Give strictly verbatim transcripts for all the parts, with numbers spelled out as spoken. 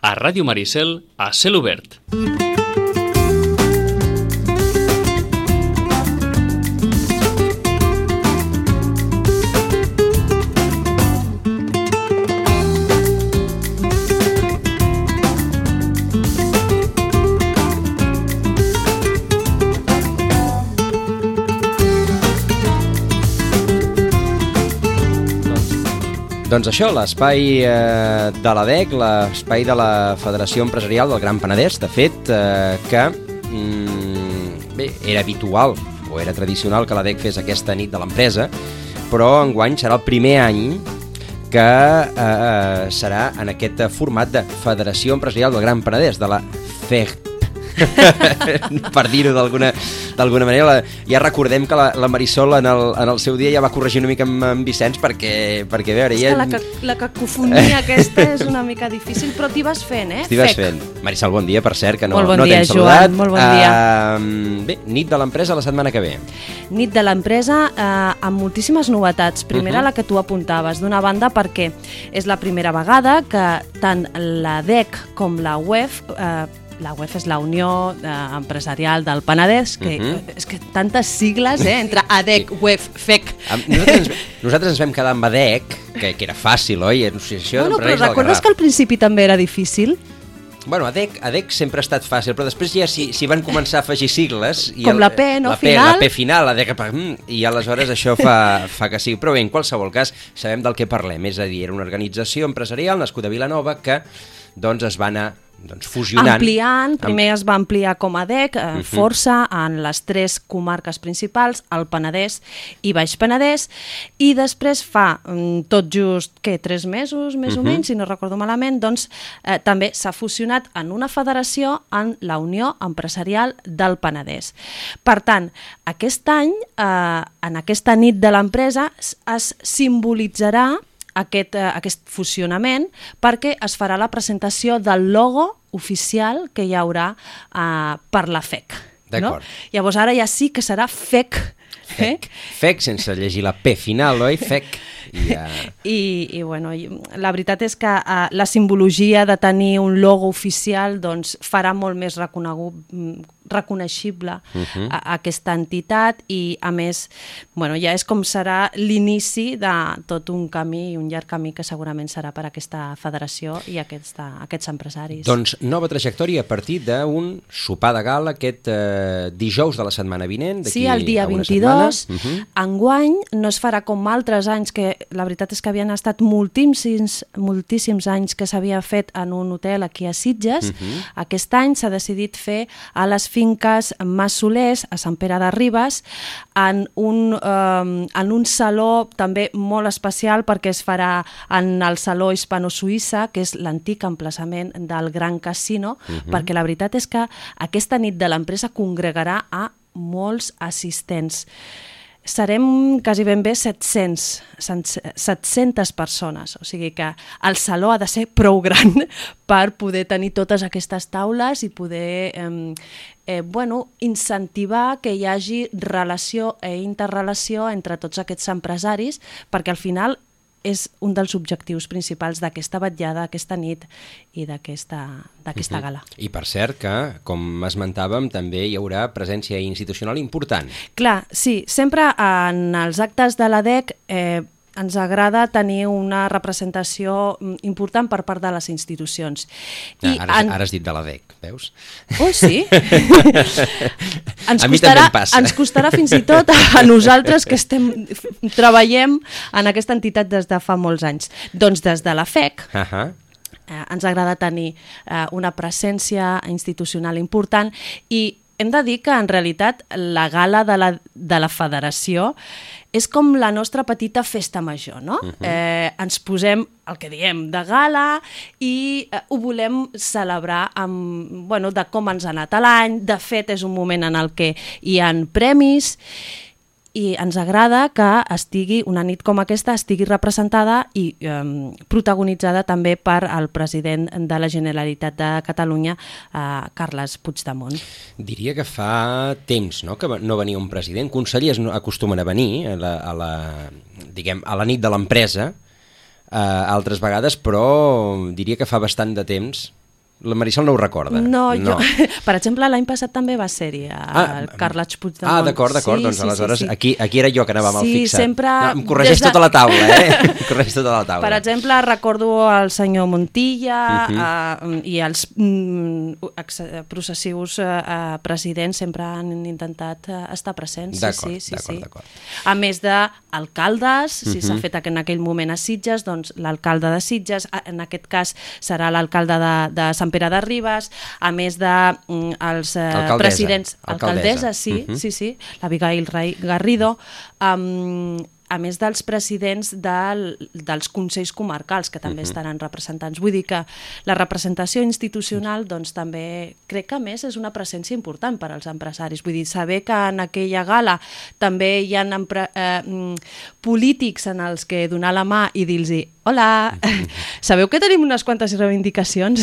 a Ràdio Maricel, a Cel Obert. Doncs això, l'espai eh, de l'A D E C, l'espai de la Federació Empresarial del Gran Penedès, de fet, eh, que mm, bé, era habitual o era tradicional que l'A D E C fes aquesta nit de l'empresa, però enguany serà el primer any que eh, serà en aquest format de Federació Empresarial del Gran Penedès, de la F E G P, per dir-ho d'alguna d'alguna manera. La, ja recordem que la, la Marisol en el, en el seu dia ja va corregir una mica amb, amb Vicenç perquè, perquè a veure... És ja... que la, ca la cacofonia aquesta és una mica difícil, però t'hi vas fent, eh? T'hi vas fent. Marisol, bon dia, per cert, que no, bon no dia, t'hem saludat. Joan, molt bon dia. Uh, bé, nit de l'empresa la setmana que ve. Nit de l'empresa eh, amb moltíssimes novetats. Primera, uh -huh. la que tu apuntaves, d'una banda perquè és la primera vegada que tant la D E C com la U E F... Eh, la U E F és la Unió eh, Empresarial del Penedès, que uh-huh. és que tantes sigles, eh, entre A D E C, U E F, F E C. Nosaltres ens, nosaltres ens vam quedar amb A D E C, que, que era fàcil, oi? Associació bueno, però d'Empresaris del recordes Garraf. que al principi també era difícil? Bueno, A D E C, A D E C sempre ha estat fàcil, però després ja s'hi si van començar a afegir sigles... I com el, la P, no? La P, final. la P final, A D E C, i aleshores això fa, fa que sigui. Però bé, en qualsevol cas, sabem del que parlem. És a dir, era una organització empresarial nascuda a Vilanova que doncs, es va anar doncs, fusionant. Ampliant, primer es va ampliar com a D E C, eh, uh-huh. força en les tres comarques principals, el Penedès i Baix Penedès, i després fa mm, tot just, què, tres mesos, més uh-huh. o menys, si no recordo malament, doncs eh, també s'ha fusionat en una federació en la Unió Empresarial del Penedès. Per tant, aquest any, eh, en aquesta nit de l'empresa, es simbolitzarà Aquest, eh, aquest fusionament perquè es farà la presentació del logo oficial que hi haurà eh, per la F E C. D'acord. No? Llavors ara ja sí que serà F E C. F E C, F E C sense llegir la P final, oi? F E C. I, uh... I, i bueno, la veritat és que uh, la simbologia de tenir un logo oficial doncs, farà molt més reconegut, reconeixible uh-huh. a, a aquesta entitat i a més bueno, ja és com serà l'inici de tot un camí i un llarg camí que segurament serà per aquesta federació i aquesta, aquests empresaris. Doncs nova trajectòria a partir d'un sopar de gala aquest eh, dijous de la setmana vinent. Sí, el dia vint-i-dos. Uh-huh. Enguany no es farà com altres anys que la veritat és que havien estat moltíssims, moltíssims anys que s'havia fet en un hotel aquí a Sitges. Uh-huh. Aquest any s'ha decidit fer a les finques Massolers, a Sant Pere de Ribes, en un, eh, en un saló també molt especial perquè es farà en el Saló Hispano-Suïssa, que és l'antic emplaçament del Gran Casino, uh-huh. perquè la veritat és que aquesta nit de l'empresa congregarà a molts assistents. Serem quasi ben bé set-cents, set-centes persones, o sigui que el saló ha de ser prou gran per poder tenir totes aquestes taules i poder eh, eh, bueno, incentivar que hi hagi relació i interrelació entre tots aquests empresaris, perquè al final és un dels objectius principals d'aquesta vetllada, d'aquesta nit i d'aquesta d'aquesta gala. Uh-huh. I per cert que, com esmentàvem, també hi haurà presència institucional important. Clar, sí, sempre en els actes de l'A D E C eh, ens agrada tenir una representació important per part de les institucions. I ah, ara, en... ara has dit de l'A D E C, veus? Oh, sí? ens a mi costarà, també em passa. Ens costarà fins i tot a nosaltres que estem treballem en aquesta entitat des de fa molts anys. Doncs des de la F E C, uh-huh. eh, ens agrada tenir eh, una presència institucional important i hem de dir que en realitat la gala de la, de la federació és com la nostra petita festa major, no? Uh-huh. eh, ens posem el que diem de gala i eh, ho volem celebrar amb, bueno, de com ens ha anat l'any. De fet, és un moment en el que hi ha premis i ens agrada que estigui una nit com aquesta estigui representada i eh, protagonitzada també per el president de la Generalitat de Catalunya, eh, Carles Puigdemont. Diria que fa temps, no?, que no venia un president. Consellers no acostumen a venir a la, a la, diguem, a la nit de l'empresa eh, altres vegades, però diria que fa bastant de temps La Marisol no ho recorda. No, no. Jo, per exemple, l'any passat també va ser-hi el ah, Carles Puigdemont. Ah, d'acord, d'acord, sí, doncs sí, aleshores sí, sí. Aquí, aquí era jo que anava mal sí, fixat. Sempre... No, em corregeix de... tota la taula, eh? Em corregeix tota la taula. Per exemple, recordo el senyor Montilla uh -huh. uh, i els mm, processius uh, presidents sempre han intentat uh, estar presents. D'acord, sí, sí, d'acord, sí. d'acord. A més d'alcaldes, si uh -huh. s'ha fet en aquell moment a Sitges, doncs l'alcalde de Sitges, en aquest cas serà l'alcalde de, de Sant Pere de Ribes, a més de mm, els eh, presidents... Alcaldessa, sí, uh -huh. sí, sí, l'Abigail Garrido, um, a més dels presidents del, dels consells comarcals, que també uh -huh. estaran representants. Vull dir que la representació institucional, doncs també crec que a més és una presència important per als empresaris. Vull dir, saber que en aquella gala també hi ha eh, polítics en els que donar la mà i dir-los hola, uh -huh. sabeu que tenim unes quantes reivindicacions?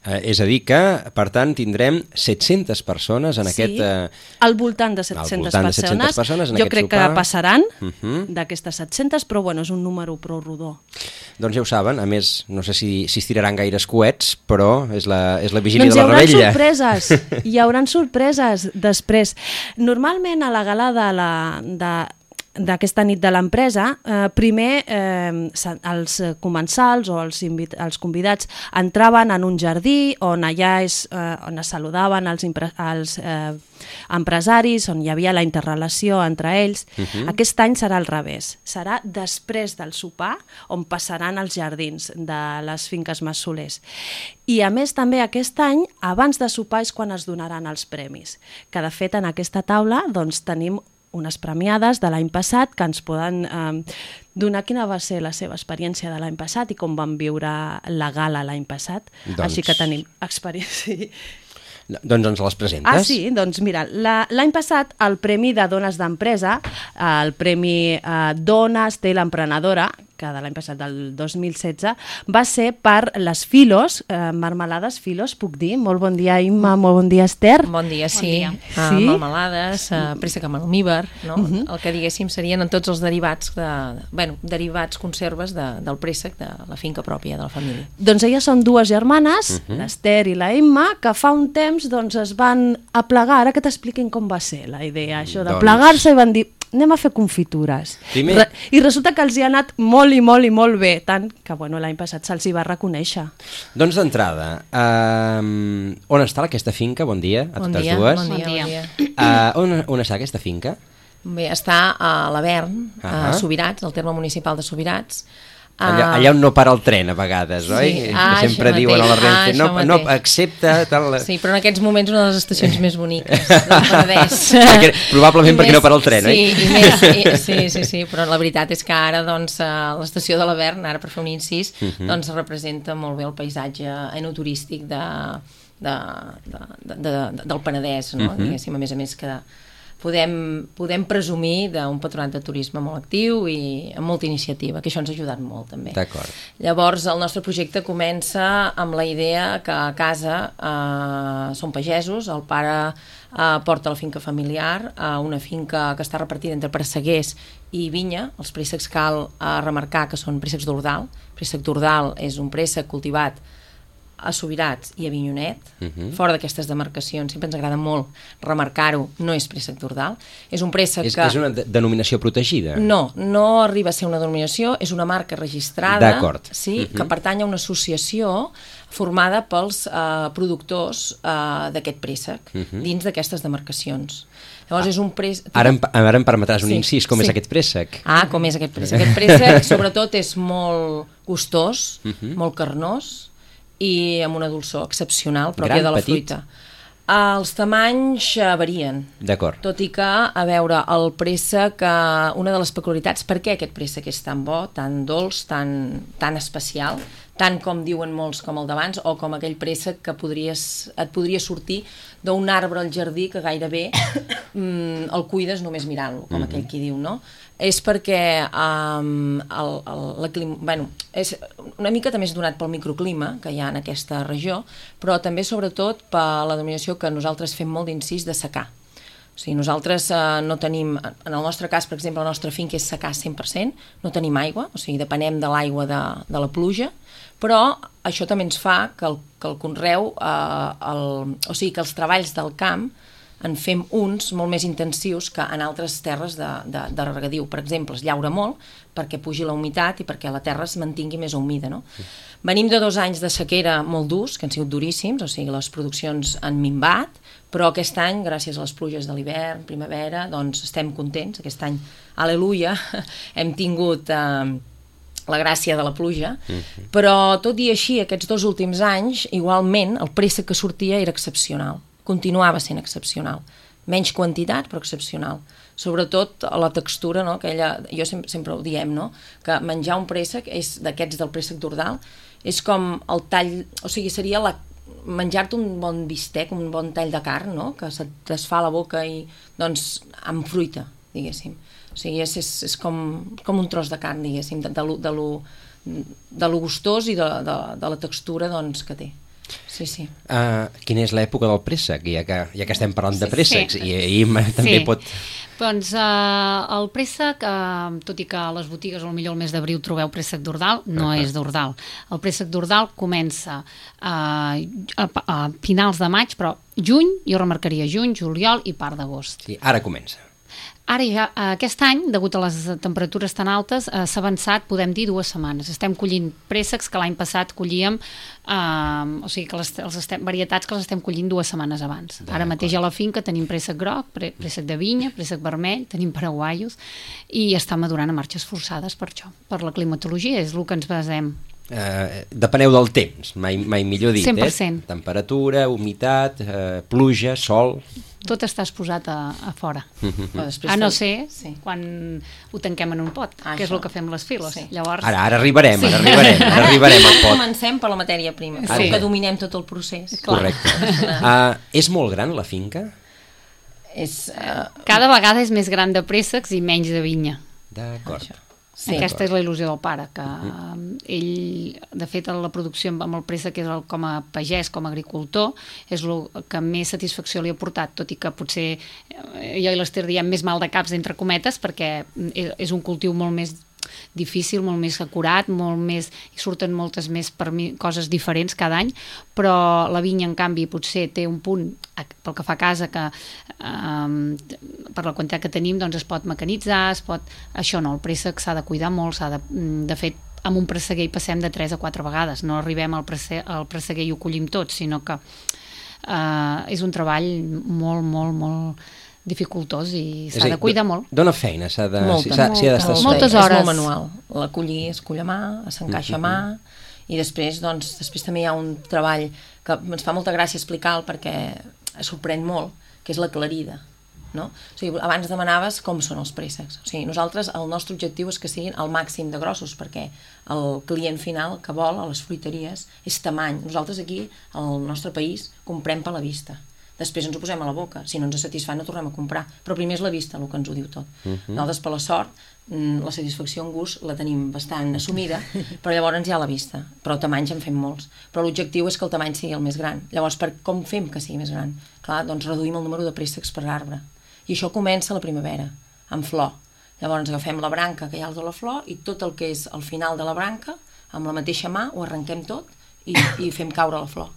Eh, és a dir que, per tant, tindrem set-centes persones en sí, aquest... Eh, al voltant de set-centes voltant de set-centes persones en jo aquest crec sopar. Que passaran uh -huh. d'aquestes set-centes, però bueno, és un número prou rodó. Doncs ja ho saben, a més, no sé si, si es tiraran gaires coets, però és la, és la vigília doncs de la rebella. Doncs hi haurà sorpreses, hi haurà sorpreses després. Normalment a la gala de la... De, d'aquesta nit de l'empresa, eh, primer eh, els comensals o els, els convidats entraven en un jardí on allà és, eh, on es saludaven els, els eh, empresaris, on hi havia la interrelació entre ells. Uh-huh. Aquest any serà al revés, serà després del sopar on passaran als jardins de les finques Massolers. I a més també aquest any, abans de sopar és quan es donaran els premis, que de fet en aquesta taula doncs, tenim unes premiades de l'any passat que ens poden eh, donar quina va ser la seva experiència de l'any passat i com van viure la gala l'any passat. Doncs... Així que tenim experiència. Doncs ens les presentes. Ah, sí? Doncs mira, l'any passat el Premi de Dones d'Empresa, el Premi eh, Dones té l'emprenedora, que de l'any passat, del dos mil setze, va ser per les Filos, eh, marmelades Filos, puc dir? Molt bon dia, Imma, molt bon dia, Esther. Bon dia, sí. Bon dia. Uh, sí? Marmelades, uh, préssec amb almíbar, no? Uh -huh. El que diguéssim serien en tots els derivats, de, bueno, derivats, conserves de, del préssec de la finca pròpia de la família. Doncs elles són dues germanes, uh -huh. l'Esther i la Imma, que fa un temps doncs, es van aplegar. Ara que t'expliquin com va ser la idea, això de doncs... plegar-se i van dir anem a fer confitures. Primer... Re I resulta que els hi ha anat molt i molt i molt bé, tant que bueno, l'any passat se'ls hi va reconèixer. Doncs d'entrada, um, on està aquesta finca? Bon dia a bon totes dia, dues. Bon dia, bon dia. Uh, on, on està aquesta finca? Bé, està a l'Avern, uh -huh. a Subirats, al terme municipal de Subirats. Allà, allà on no para el tren a vegades, sí. oi? Ah, que sempre diuen a la Renfe, ah, no, no, accepta... Tal... Sí, però en aquests moments una de les estacions més boniques del Penedès. Perquè, probablement perquè no para el tren, sí, oi? I més, i, sí, sí, sí, però la veritat és que ara doncs, l'estació de l'Avern, ara per fer un incís, uh -huh. doncs representa molt bé el paisatge enoturístic de, de, de, de, de, del Penedès, no? Uh -huh. Diguéssim, a més a més que... Podem, podem presumir d'un patronat de turisme molt actiu i amb molta iniciativa, que això ens ha ajudat molt també. D'acord. Llavors el nostre projecte comença amb la idea que a casa eh, són pagesos, el pare eh, porta la finca familiar, eh, una finca que està repartida entre presseguers i vinya. Els préssecs cal eh, remarcar que són préssecs d'Ordal. Préssec d'Ordal és un préssec cultivat a Subirats i a Avinyonet, uh -huh. fora d'aquestes demarcacions, sempre ens agrada molt remarcar-ho, no és préssec d'Ordal, és un préssec és, que... És una de denominació protegida? No, no arriba a ser una denominació, és una marca registrada, d'acord. Sí, uh -huh. que pertany a una associació formada pels eh, productors eh, d'aquest préssec, uh -huh. dins d'aquestes demarcacions. Llavors ah, és un préssec... Ara em, ara em permetràs un sí, incís, com sí. és aquest préssec? Ah, com és aquest préssec? Aquest préssec, sobretot, és molt gustós, uh -huh. molt carnós, i amb una dolçor excepcional pròpia Gran, de la petit. fruita. Els tamanys varien. D'acord. Tot i que, a veure, el préssec, una de les peculiaritats, per què aquest préssec és tan bo, tan dolç, tan, tan especial, tant com diuen molts com el d'abans, o com aquell préssec que podries, et podria sortir d'un arbre al jardí que gairebé mm, el cuides només mirant-lo, com mm-hmm. aquell qui diu, no? És perquè um, el, el, el clima, bueno, és una mica també és donat pel microclima que hi ha en aquesta regió, però també sobretot per la denominació que nosaltres fem molt d'incís de secà. O sigui, nosaltres eh, no tenim, en el nostre cas, per exemple, la nostra finca és secà cent per cent, no tenim aigua, o sigui, depenem de l'aigua de, de la pluja, Però això també ens fa que el, que el conreu, eh, el, o sigui, que els treballs del camp en fem uns molt més intensius que en altres terres de, de, de regadiu. Per exemple, es llaura molt perquè pugi la humitat i perquè la terra es mantingui més humida, no? Sí. Venim de dos anys de sequera molt durs, que han sigut duríssims, o sigui, les produccions han minvat, però aquest any, gràcies a les pluges de l'hivern, primavera, doncs estem contents. Aquest any, aleluia, hem tingut eh, la gràcia de la pluja, mm-hmm. però tot i així, aquests dos últims anys, igualment, el préssec que sortia era excepcional. Continuava sent excepcional. Menys quantitat, però excepcional. Sobretot la textura, no? Aquella, jo sempre, sempre ho diem, no? Que menjar un préssec, és d'aquests del préssec d'Ordal, és com el tall, o sigui, seria la, menjar-te un bon bistec, un bon tall de carn, no? Que se't desfà la boca i, doncs, amb fruita, diguéssim. O sigui, és, és, és com, com un tros de carn, diguéssim, de, de, lo, de, lo, de lo gustós i de, de, de la textura, doncs, que té. Sí, sí. Uh, quina és l'època del préssec, ja que, ja que estem parlant de préssecs? Sí. I, i també sí. pot... Doncs uh, el préssec, uh, tot i que a les botigues potser al mes d'abril trobeu préssec d'Ordal, no uh-huh. és d'Ordal. El préssec d'Ordal comença uh, a, a finals de maig, però juny, jo remarcaria juny, juliol i part d'agost. I ara comença. Ara ja, aquest any, degut a les temperatures tan altes, eh, s'ha avançat, podem dir, dues setmanes. Estem collint préssecs que l'any passat collíem, eh, o sigui que les, els estem, varietats que les estem collint dues setmanes abans. Ara mateix a la finca tenim préssec groc, préssec de vinya, préssec vermell, tenim paraguaios, i està madurant a marxes forçades per això, per la climatologia, és el que ens basem. Eh, depeneu del temps, mai, mai millor dit, cent per cent. Eh? Temperatura, humitat, eh, pluja, sol... Tot està exposat a, a fora. Mm-hmm. A no ser sí. quan ho tanquem en un pot, ah, que és el que fem les files. Sí. Llavors... Ara, ara arribarem, sí. ara arribarem, ara arribarem al pot. Comencem per la matèria prima, sí. que dominem tot el procés. Correcte. Uh, és molt gran la finca? És, uh... Cada vegada és més gran de préssecs i menys de vinya. D'acord. Sí. Aquesta és la il·lusió del pare, que ell, de fet, la producció amb el préssec és el, com a pagès, com a agricultor, és el que més satisfacció li ha portat, tot i que potser jo i l'Ester diem més mal de caps, entre cometes, perquè és un cultiu molt més difícil, molt més acurat, molt més, i surten moltes més per mi, coses diferents cada any, però la vinya, en canvi, potser té un punt, pel que fa a casa, que um, per la quantitat que tenim, doncs es pot mecanitzar, es pot... Això no, el préssec s'ha de cuidar molt, s'ha de... De fet, amb un presseguer hi passem de tres a quatre vegades, no arribem al presseguer, al presseguer i ho collim tot, sinó que uh, és un treball molt, molt, molt dificultós i s'ha de cuidar molt. Dóna feina, s'ha de... Molta, s'ha, molta, s'hi ha d'estar moltes feina. hores. És molt manual. La collir es cull a mà, s'encaixa a mà, i després, doncs, després també hi ha un treball que ens fa molta gràcia explicar perquè sorprèn molt, que és la clarida. No? O sigui, abans demanaves com són els préssecs. O sigui, nosaltres, el nostre objectiu és que siguin al màxim de grossos, perquè el client final que vol a les fruiteries és tamany. Nosaltres aquí, al nostre país, comprem per la vista. Després ens ho posem a la boca. Si no ens satisfà, no tornem a comprar. Però primer és la vista el que ens ho diu tot. Uh-huh. Nosaltres, per la sort, la satisfacció en gust la tenim bastant assumida, però llavors hi ha la vista. Però tamanys en fem molts. Però l'objectiu és que el tamany sigui el més gran. Llavors, per com fem que sigui més gran? Clar, doncs reduïm el número de préssecs per arbre. I això comença a la primavera, amb flor. Llavors agafem la branca que hi ha de la flor i tot el que és al final de la branca, amb la mateixa mà, ho arrenquem tot i, i fem caure la flor.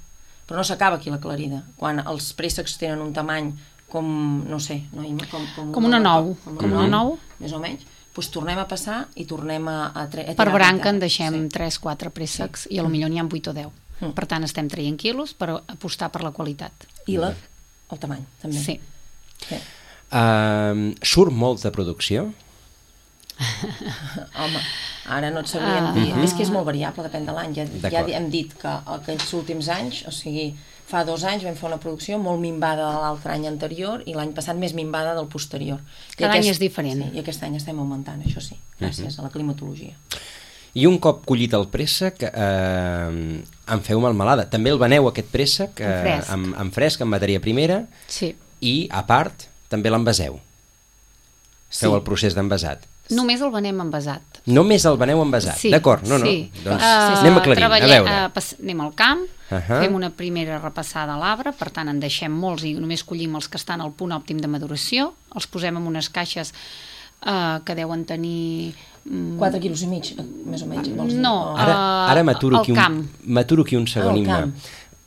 Però no s'acaba aquí la clarida. Quan els préssecs tenen un tamany com, no sé, no, com, com, com una nou, com, com una nou, més o menys, doncs tornem a passar i tornem a, a, tre- a tirar. Per branca en deixem sí. tres quatre préssecs sí. i potser n'hi ha vuit o deu. Mm. Per tant, estem traient quilos per apostar per la qualitat. I la, el tamany, també. Sí. sí. Uh, surt molt de producció? Home, ara no et sabríem uh, dir. Uh, és que és molt variable, depèn de l'any. Ja, ja hem dit que aquests últims anys, o sigui, fa dos anys vam fer una producció molt minvada de l'altre any anterior i l'any passat més minvada del posterior. Cada aquest, any és diferent. Sí, i aquest any estem augmentant, això sí, gràcies uh-huh. a la climatologia. I un cop collit el préssec, eh, en feu melmelada. També el veneu, aquest préssec, eh, en fresc, amb, amb fresc, amb matèria primera, sí. i, a part, també l'envaseu. Sí. Feu el procés d'envasat. Només el venem envasat. Només el veneu envasat, sí, d'acord, no, no, sí. doncs uh, anem aclarint, a veure. Uh, pas, anem al camp, uh-huh. fem una primera repassada a l'arbre, per tant en deixem molts i només collim els que estan al punt òptim de maduració, els posem en unes caixes uh, que deuen tenir quatre quilos i mig, més o menys, vols dir? No, O- Ara, ara m'aturo al aquí, camp. un, m'aturo aquí un segon, Al Imma. camp.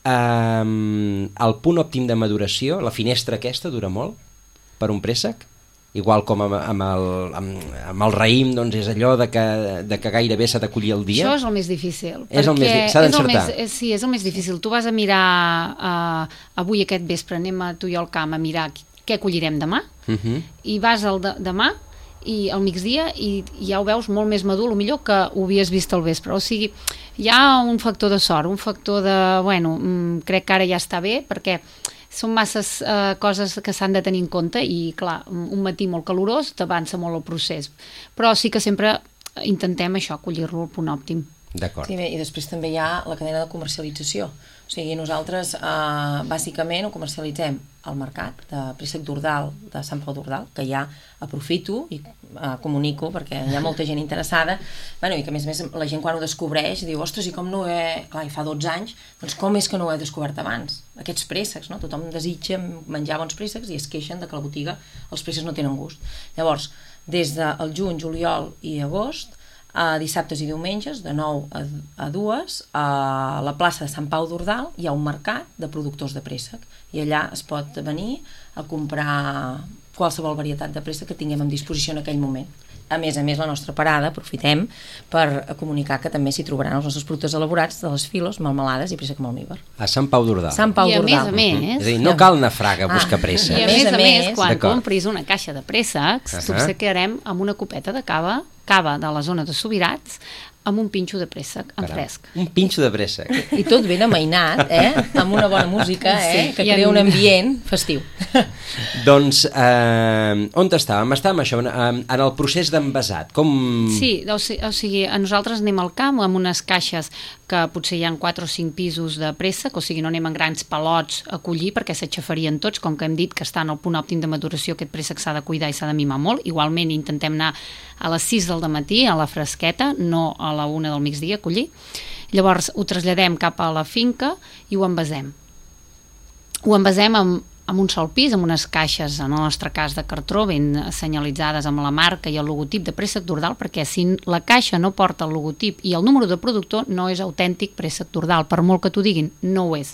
Um, el punt òptim de maduració, la finestra aquesta dura molt per un préssec? Igual com amb, amb, el, amb, amb el raïm, doncs és allò de que, de que gairebé s'ha de collir el dia? Això és el més difícil. És el més perquè di- s'ha és el d'encertar. més- és- Sí, és el més difícil. Tu vas a mirar uh, avui aquest vespre, anem a tu i al camp a mirar què collirem demà, Uh -huh. i vas al de, demà i al migdia i, i ja ho veus molt més madur, el millor que ho havies vist al vespre. O sigui, hi ha un factor de sort, un factor de, bueno, mm, crec que ara ja està bé, perquè són masses eh, coses que s'han de tenir en compte i, clar, un matí molt calorós t'avança molt el procés. Però sí que sempre intentem això, collir-lo al punt òptim. D'acord. Sí, bé, i després també hi ha la cadena de comercialització. O sigui, nosaltres eh, bàsicament ho comercialitzem al mercat de préssec d'Ordal, de Sant Pau d'Ordal, que ja aprofito i eh, comunico perquè hi ha molta gent interessada, bueno, i que a més a més la gent quan ho descobreix diu, ostres, i com no ho he... Clar, i fa dotze anys, doncs com és que no ho he descobert abans? Aquests préssecs, no? Tothom desitja menjar bons préssecs i es queixen de que a la botiga els préssecs no tenen gust. Llavors, des del juny, juliol i agost, a dissabtes i diumenges, de nou a, a dues, a la plaça de Sant Pau d'Ordal hi ha un mercat de productors de préssec i allà es pot venir a comprar qualsevol varietat de préssec que tinguem en disposició en aquell moment. A més a més, la nostra parada, aprofitem per comunicar que també s'hi trobaran els nostres productes elaborats de les filos, melmelades i préssec amb almíbar. A Sant Pau d'Ordal. Sant Pau I a més d'Ordal. a més, És a dir, no cal anar a Fraga a buscar Ah. préssec. I a A més més a a més, més, quan d'acord. compris una caixa de préssecs, Ahà. potser quedarem amb una copeta de cava, cava de la zona de Subirats, amb un pinxo de préssec en Caram. fresc. Un pinxo de préssec. I tot ben amainat, eh? Amb una bona música, eh? Sí, Que i en- crea un ambient festiu. Doncs, eh, on estàvem? Estàvem això, en, en el procés d'envasat. Com... Sí, o sigui, o sigui, a nosaltres anem al camp amb unes caixes que potser hi ha quatre o cinc pisos de préssec, o sigui, no anem en grans palots a collir perquè s'aixafarien tots, com que hem dit que estan al punt òptim de maduració, aquest préssec s'ha de cuidar i s'ha de mimar molt. Igualment intentem anar a les sis del dematí, a la fresqueta, no a la una del migdia a collir. Llavors ho traslladem cap a la finca i ho envasem. Ho envasem amb, amb un sol pis, amb unes caixes, en el nostre cas de cartró, ben senyalitzades amb la marca i el logotip de préssec d'Ordal, perquè si la caixa no porta el logotip i el número de productor, no és autèntic préssec d'Ordal, per molt que t'ho diguin, no ho és.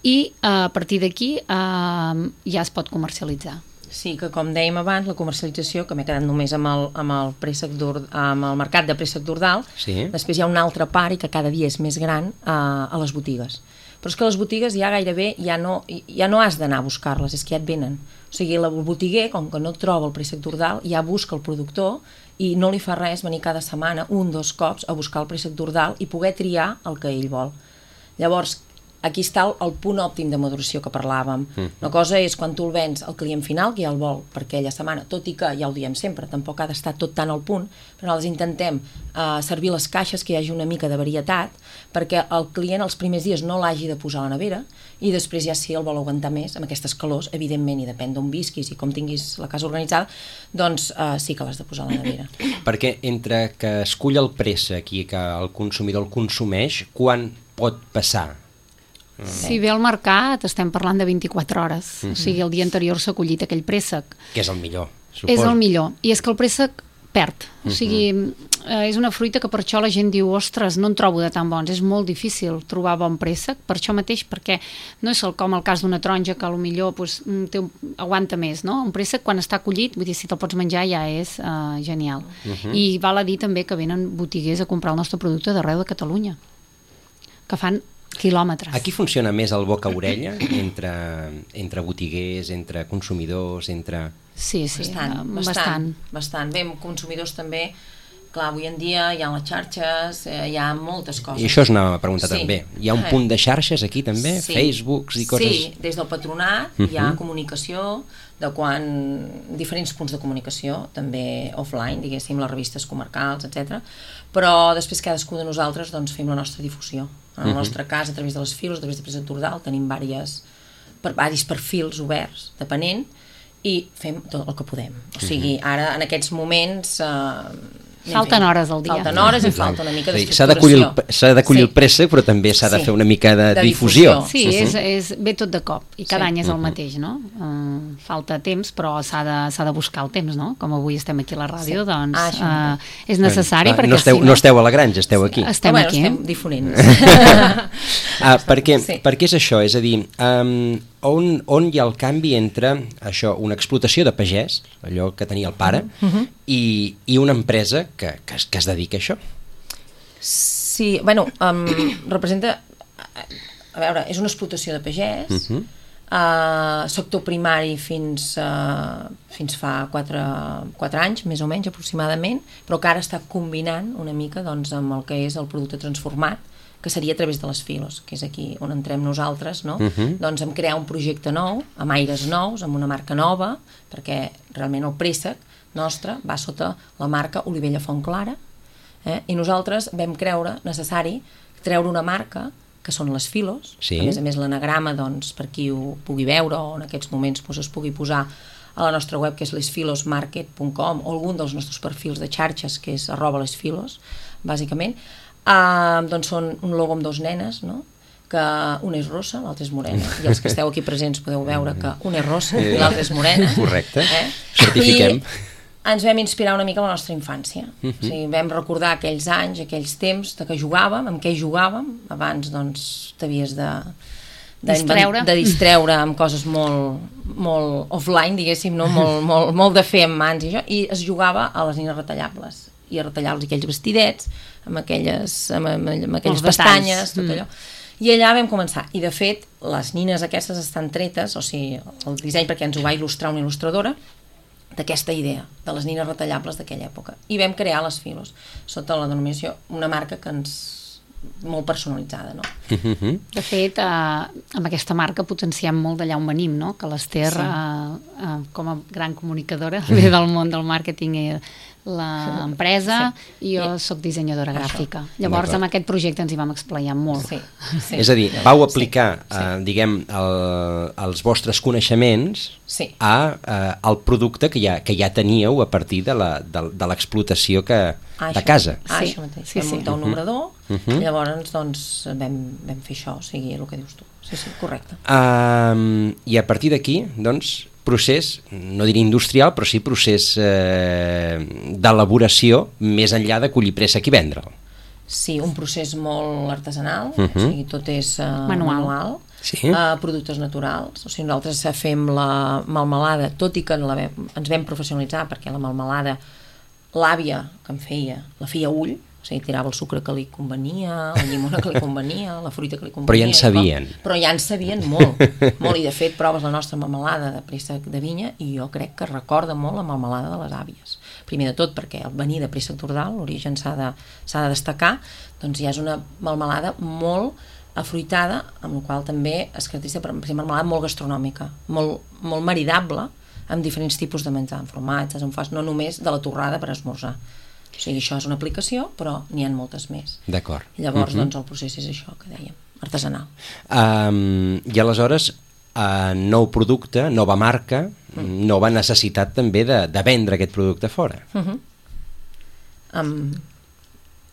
I eh, a partir d'aquí eh, ja es pot comercialitzar. Sí, que com dèiem abans, la comercialització, que m'he quedat només amb el, amb el, préssec d'Ord- amb el mercat de préssec d'Ordal, Sí. després hi ha una altra part i que cada dia és més gran eh, a les botigues. Però és que les botigues ja gairebé ja no, ja no has d'anar a buscar-les, és que ja et venen. O sigui, el botiguer, com que no troba el préssec d'Ordal, ja busca el productor i no li fa res venir cada setmana, un, dos cops, a buscar el préssec d'Ordal i poder triar el que ell vol. Llavors, aquí està el, el punt òptim de maduració que parlàvem. Mm. Una cosa és quan tu el vens al client final, que ja el vol per aquella setmana, tot i que, ja ho diem sempre, tampoc ha d'estar tot tan al punt, però nosaltres intentem uh, servir les caixes, que hi hagi una mica de varietat, perquè el client els primers dies no l'hagi de posar a la nevera, i després ja si el vol aguantar més, amb aquestes calors, evidentment, i depèn d'on visquis i com tinguis la casa organitzada, doncs uh, sí que l'has de posar a la nevera. Perquè entre que es cull el préssec i que el consumidor el consumeix, quan pot passar? Si ve al mercat estem parlant de vint-i-quatre hores, mm-hmm. o sigui, el dia anterior s'ha collit aquell préssec. Que és el millor, suposo. És el millor, i és que el préssec perd, o sigui, eh, és una fruita que per això la gent diu, ostres, no en trobo de tan bons, és molt difícil trobar bon préssec, per això mateix, perquè no és el, com el cas d'una taronja que potser pues, té un, aguanta més, no? Un préssec quan està collit, vull dir, si te'l pots menjar ja és uh, genial. Uh-huh. I val a dir també que venen botiguers a comprar el nostre producte d'arreu de Catalunya, que fan quilòmetres. Aquí funciona més el boca-orella entre, entre botiguers, entre consumidors, entre... Sí, sí, Bastant, eh, bastant, bastant. bastant. Bé, amb consumidors també, clar, avui en dia hi ha les xarxes, eh, hi ha moltes coses. I això és una pregunta Sí. també. Hi ha un Eh. punt de xarxes aquí també? Sí. Facebooks i coses... Sí, des del patronat Uh-huh. hi ha comunicació de quan... diferents punts de comunicació, també offline, diguéssim, les revistes comarcals, etcètera. Però després cadascú de nosaltres doncs, fem la nostra difusió. En el Uh-huh. nostre cas, a través de les files, a través de Préssec d'Ordal, tenim diverses, per, diversos perfils oberts, depenent, i fem tot el que podem. O sigui, ara, en aquests moments, eh, Falten hores al dia. Falten hores i falta una mica d'estructuració. S'ha d'acollir el, s'ha d'acollir sí. el préssec, però també s'ha de sí. fer una mica de, de difusió. difusió. Sí, uh-huh. és, és, ve tot de cop, i cada sí. any és el mateix, no? Uh, falta temps, però s'ha de, s'ha de buscar el temps, no? Com avui estem aquí a la ràdio, sí. doncs ah, uh, és necessari, ah, perquè no esteu, si no... No esteu a la granja, esteu aquí. Estem bueno, aquí. Estem difonent. ah, perquè, sí. perquè és això, és a dir, um, on, on hi ha el canvi entre això, una explotació de pagès, allò que tenia el pare, uh-huh. i, i una empresa que, que, es, que es dedica a això? Sí, bueno, um, representa... A veure, és una explotació de pagès, uh-huh. uh, sector primari fins, uh, fins fa quatre, quatre anys, més o menys aproximadament, però que ara està combinant una mica doncs, amb el que és el producte transformat, que seria a través de les filos, que és aquí on entrem nosaltres, no? Uh-huh. Doncs en crear un projecte nou, amb aires nous, amb una marca nova, perquè realment el préssec nostre va sota la marca Olivella Fontclara, eh? I nosaltres vam creure necessari treure una marca que són les filos, sí. A més a més l'anagrama, doncs, per qui ho pugui veure o en aquests moments doncs, es pugui posar a la nostra web, que és lesfilosmarket punt com, o algun dels nostres perfils de xarxes, que és arroba lesfilos, bàsicament, uh, doncs són un logo amb dos nenes, no? Que una és rossa, l'altra és morena, i els que esteu aquí presents podeu veure que una és rossa i l'altra és morena. Correcte, eh? Certifiquem. I ens vam inspirar una mica a la nostra infància. Uh-huh. O sigui, vam recordar aquells anys, aquells temps de que jugàvem, amb què jugàvem. Abans, doncs, t'havies de, de, distreure. de distreure amb coses molt, molt offline, diguéssim, no? molt, molt, molt de fer amb mans i això, i es jugava a les nines retallables. I a retallar-los aquells vestidets, amb aquelles, amb, amb, amb aquelles els pestanyes, detalls. tot allò. Mm. I allà vam començar. I, de fet, les nines aquestes estan tretes, o sigui, el disseny, perquè ens ho va il·lustrar una il·lustradora, d'aquesta idea, de les nines retallables d'aquella època. I vam crear les filos, sota la denominació, una marca que ens... molt personalitzada, no? De fet, eh, amb aquesta marca potenciem molt d'allà on venim, no? Que l'Ester, sí. eh, eh, com a gran comunicadora, ve del món del màrqueting i l'empresa, sí. I jo soc dissenyadora gràfica. Això. Llavors, amb aquest projecte ens hi vam explayar molt. Sí. Sí. És a dir, vau aplicar, sí. Sí. Eh, diguem, el, els vostres coneixements sí. a, eh, al producte que ja, que ja teníeu a partir de l'explotació que ah, de casa. Ah, sí. això mateix. Sí, vam sí. muntar un obrador, uh -huh. llavors doncs, vam, vam fer això, o sigui, el que dius tu. Sí, sí, correcte. Um, I a partir d'aquí, doncs, procés, no diré industrial, però sí procés eh, d'elaboració més enllà de collir préssec i vendre'l. Sí, un procés molt artesanal, uh -huh. o sigui, tot és uh, manual, manual sí. uh, productes naturals, o sigui, nosaltres fem la melmelada, tot i que la vam, ens vam professionalitzar, perquè la melmelada, l'àvia que en feia, la feia a ull, o sigui, tirava el sucre que li convenia, la llimona que li convenia, la fruita que li convenia. Però ja en sabien. Com, però ja en sabien molt, molt, i de fet proves la nostra melmelada de préssec de vinya i jo crec que recorda molt la melmelada de les àvies. Primer de tot perquè el venir de préssec d'Ordal, l'origen s'ha de, s'ha de destacar, doncs ja és una melmelada molt afruitada, amb la qual també es caracteritza per ser melmelada molt gastronòmica, molt, molt maridable amb diferents tipus de menjar, amb formatges, amb fas, no només de la torrada per esmorzar. O sigui, això és una aplicació, però n'hi ha moltes més. D'acord. Llavors, uh-huh. doncs, el procés és això que dèiem, artesanal. Um, I aleshores, uh, nou producte, nova marca, mm. nova necessitat també de, de vendre aquest producte fora. Uh-huh. Amb...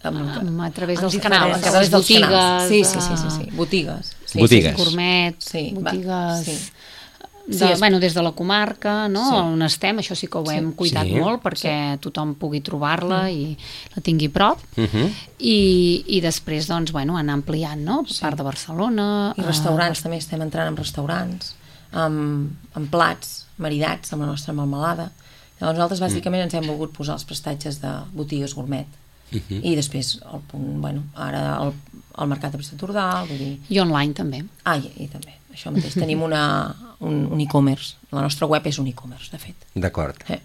Amb, amb, a través dels amb canals, a través dels botigues, canals. Sí, sí, sí, sí, sí. Botigues. Sí, botigues. Sí, gourmet, sí, botigues... Sí. De, Sí, és... bueno, des de la comarca, no? Sí. On estem, això sí que ho hem sí. cuidat sí. molt perquè sí. tothom pugui trobar-la mm. i la tingui a prop. Uh-huh. I, i després, doncs, bueno, anar ampliant, no? Per sí. part de Barcelona. I restaurants, uh... també estem entrant en restaurants, amb, amb plats maridats amb la nostra melmelada. Llavors nosaltres bàsicament mm. ens hem volgut posar els prestatges de botigues gourmet. Uh-huh. I després, el punt, bueno, ara el, el mercat de préssec d'Ordal, vull dir... I online també. Ah, i, i també. Això mateix, tenim una, un, un e-commerce. La nostra web és un e-commerce, de fet. D'acord. Eh.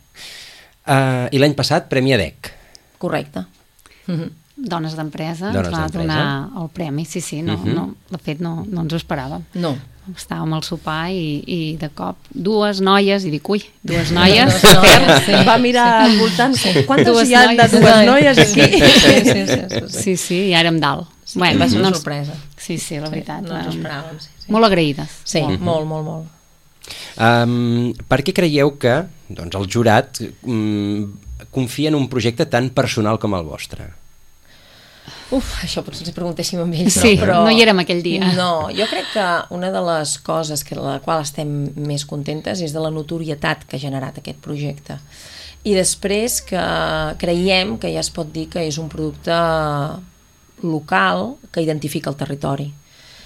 Uh, I l'any passat, Premi A D E C. Correcte. Uh-huh. Dones d'empresa ens va donar el premi, sí, sí, no, uh-huh. no, de fet no, no ens ho esperàvem. No. Estàvem al sopar i, i de cop dues noies, i dic, ui, dues noies. Dues noies, sí. Va mirar al voltant, sí. Quantes Dues hi ha de dues noies aquí? Sí, sí, sí, sí, sí. Sí, sí, i ara em dalt. Sí, bueno, va ser una sorpresa. Sí, sí, la veritat. Sí, no ens ho esperàvem, sí, sí. Molt agraïdes. Sí, molt, molt, molt, molt. Um, per què creieu que doncs, el jurat um, confia en un projecte tan personal com el vostre? Uf, això potser ens preguntéssim amb ells. Sí, però no hi érem aquell dia. No, jo crec que una de les coses que la qual estem més contentes és de la notorietat que ha generat aquest projecte. I després que creiem que ja es pot dir que és un producte local que identifica el territori.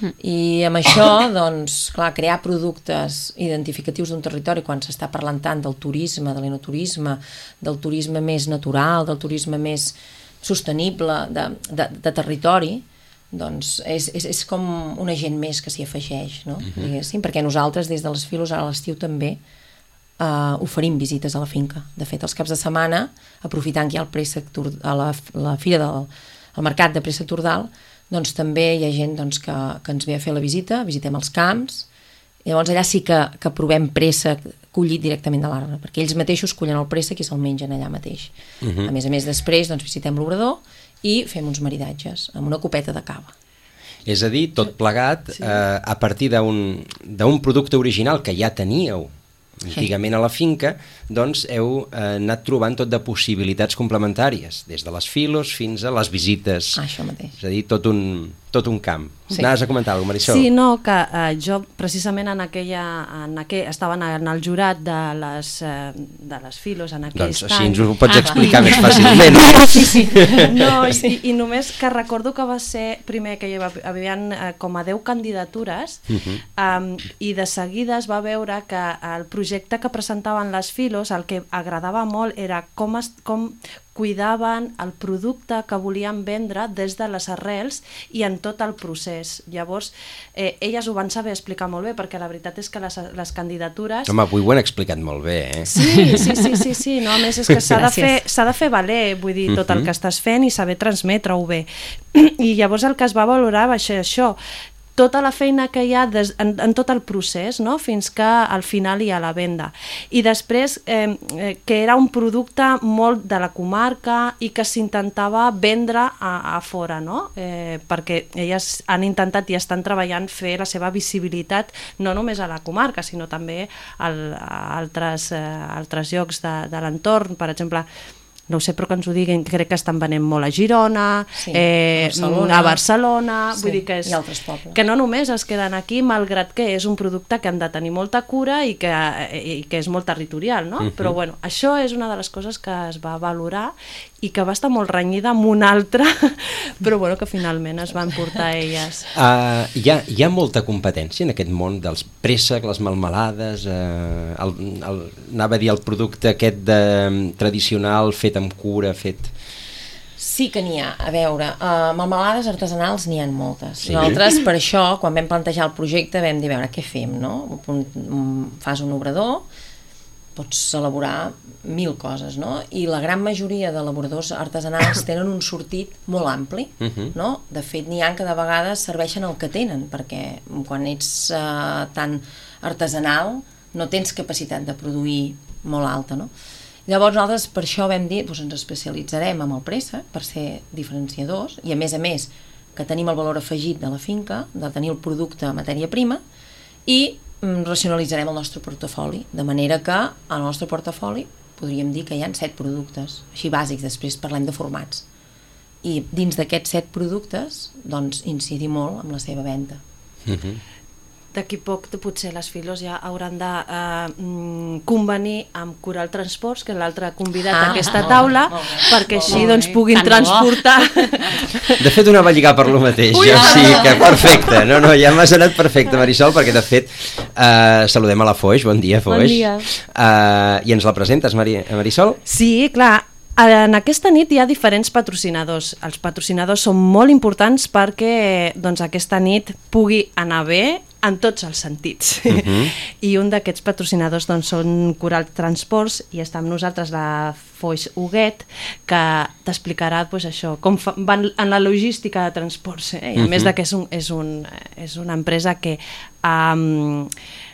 Mm. I amb això, doncs, clar, crear productes identificatius d'un territori quan s'està parlant tant del turisme, de l'enoturisme, del turisme més natural, del turisme més sostenible de, de, de territori, doncs és, és, és com un agent més que s'hi afegeix, no? Uh-huh. Diguéssim, perquè nosaltres des de les Filos a l'estiu també uh, oferim visites a la finca. De fet, els caps de setmana, aprofitant que hi ha el préssec a la, la fira del el mercat de préssec Tordal, doncs també hi ha gent doncs, que, que ens ve a fer la visita, visitem els camps, i llavors allà sí que, que provem préssec collit directament de l'arbre, perquè ells mateixos collen el préssec i se'l mengen allà mateix. Uh-huh. A més a més, després doncs, visitem l'obrador i fem uns maridatges amb una copeta de cava. És a dir, tot plegat sí. eh, a partir d'un d'un producte original que ja teníeu antigament a la finca, doncs heu eh, anat trobant tot de possibilitats complementàries, des de les Filos fins a les visites. Ah, això mateix. És a dir, tot un, tot un camp. Sí. Anaves a comentar alguna cosa, Marisol? Sí, no, que eh, jo precisament en aquella, en aquell, estava en el jurat de les, eh, de les Filos en aquell doncs estant. així ens ho pots ah, explicar i... més fàcilment. Sí, sí. No, i, i només que recordo que va ser primer que hi havia eh, com a deu candidatures uh-huh. um, i de seguida es va veure que el projecte que presentaven les Filos, el que agradava molt era com, es, com cuidaven el producte que volien vendre des de les arrels i en tot el procés. Llavors, eh, elles ho van saber explicar molt bé, perquè la veritat és que les, les candidatures... Home, avui ho han explicat molt bé, eh? Sí, sí, sí, sí, sí. No, a més és que s'ha de fer, s'ha de fer valer, vull dir, tot el que estàs fent i saber transmetre-ho bé. I llavors el que es va valorar va ser això, tota la feina que hi ha des, en, en tot el procés, no? Fins que al final hi ha la venda. I després eh, eh, que era un producte molt de la comarca i que s'intentava vendre a, a fora, no? Eh, perquè elles han intentat i estan treballant fer la seva visibilitat no només a la comarca, sinó també al, a altres, eh, altres llocs de, de l'entorn. Per exemple, no ho sé, però que ens ho diguin, crec que estan venent molt a Girona, sí, eh, Barcelona, a Barcelona, sí, vull dir que, és, i altres pobles. Que no només es queden aquí, malgrat que és un producte que han de tenir molta cura i que, i que és molt territorial, no? Uh-huh. Però bueno, això és una de les coses que es va valorar i que va estar molt renyida amb una altra, però bueno, que finalment es van portar elles. Uh, hi, ha, hi ha molta competència en aquest món dels préssec, les melmelades, uh, el, el, anava a dir el producte aquest de, tradicional, fet amb cura, fet... Sí que n'hi ha, a veure, uh, melmelades artesanals n'hi ha moltes. Sí. Nosaltres, per això, quan vam plantejar el projecte, vam dir, a veure, què fem, no? Un, un, fas un obrador, pots elaborar mil coses, no? I la gran majoria d'elaboradors artesanals tenen un sortit molt ampli, uh-huh. no? De fet, n'hi ha que de vegades serveixen el que tenen, perquè quan ets uh, tan artesanal no tens capacitat de produir molt alta, no? Llavors nosaltres per això vam dir, doncs ens especialitzarem amb el préssec per ser diferenciadors i a més a més que tenim el valor afegit de la finca, de tenir el producte a matèria prima i racionalitzarem el nostre portafoli, de manera que al nostre portafoli podríem dir que hi ha set productes, així bàsics, després parlem de formats. I dins d'aquests set productes, doncs, incidir molt amb la seva venda. Uh-huh. D'aquí poc potser les Filos ja hauran de eh, convenir amb Coral Transports, que és l'altre convidat ah, a aquesta taula, molt bé, perquè molt així doncs, puguin transportar. De fet, una va lligar per lo mateix, Ui, jo no, sí no. que perfecte. No, no, ja m'has anat perfecte, Marisol, perquè de fet eh, saludem a la Foix, bon dia, Foix. Bon dia. Eh, I ens la presentes, Mari Marisol? Sí, clar. En aquesta nit hi ha diferents patrocinadors. Els patrocinadors són molt importants perquè doncs, aquesta nit pugui anar bé en tots els sentits. Uh-huh. I un d'aquests patrocinadors doncs, són Coral Transports i està amb nosaltres la Foix Huguet, que t'explicarà pues, això, com fa, van en la logística de transports. Eh? I a uh-huh. més de que és, un, és, un, és una empresa que um,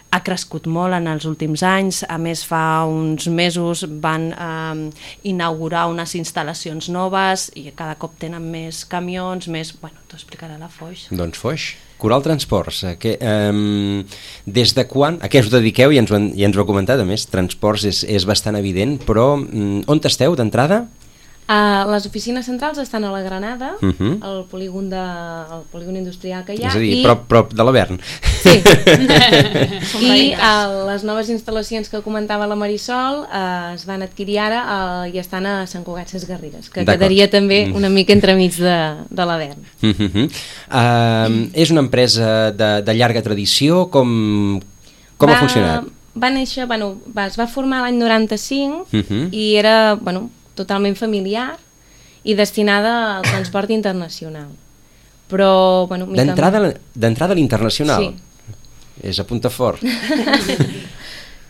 ha crescut molt en els últims anys. A més, fa uns mesos van eh, inaugurar unes instal·lacions noves i cada cop tenen més camions, més... Bueno, t'ho explicarà la Foix. Doncs Foix. Coral Transports, eh, que, eh, des de quan, a què us dediqueu? Ja ens ho, ja ens ho heu comentat, a més, transports és, és bastant evident, però mm, on esteu d'entrada? Uh, les oficines centrals estan a la Granada, uh -huh. al polígon, de, al polígon industrial que hi ha. És a dir, i... prop, prop de l'Avern. Sí. I uh, les noves instal·lacions que comentava la Marisol uh, es van adquirir ara uh, i estan a Sant Cugat Sesgarrigues, que quedaria també una mica entremig de, de l'Avern. Uh -huh. uh, és una empresa de, de llarga tradició, com, com va, ha funcionat? Va néixer, bueno, va, es va formar l'any noranta-cinc uh -huh. i era, bueno, totalment familiar i destinada al transport internacional. Però, bueno... D'entrada a l'internacional? Sí. És a punta fort.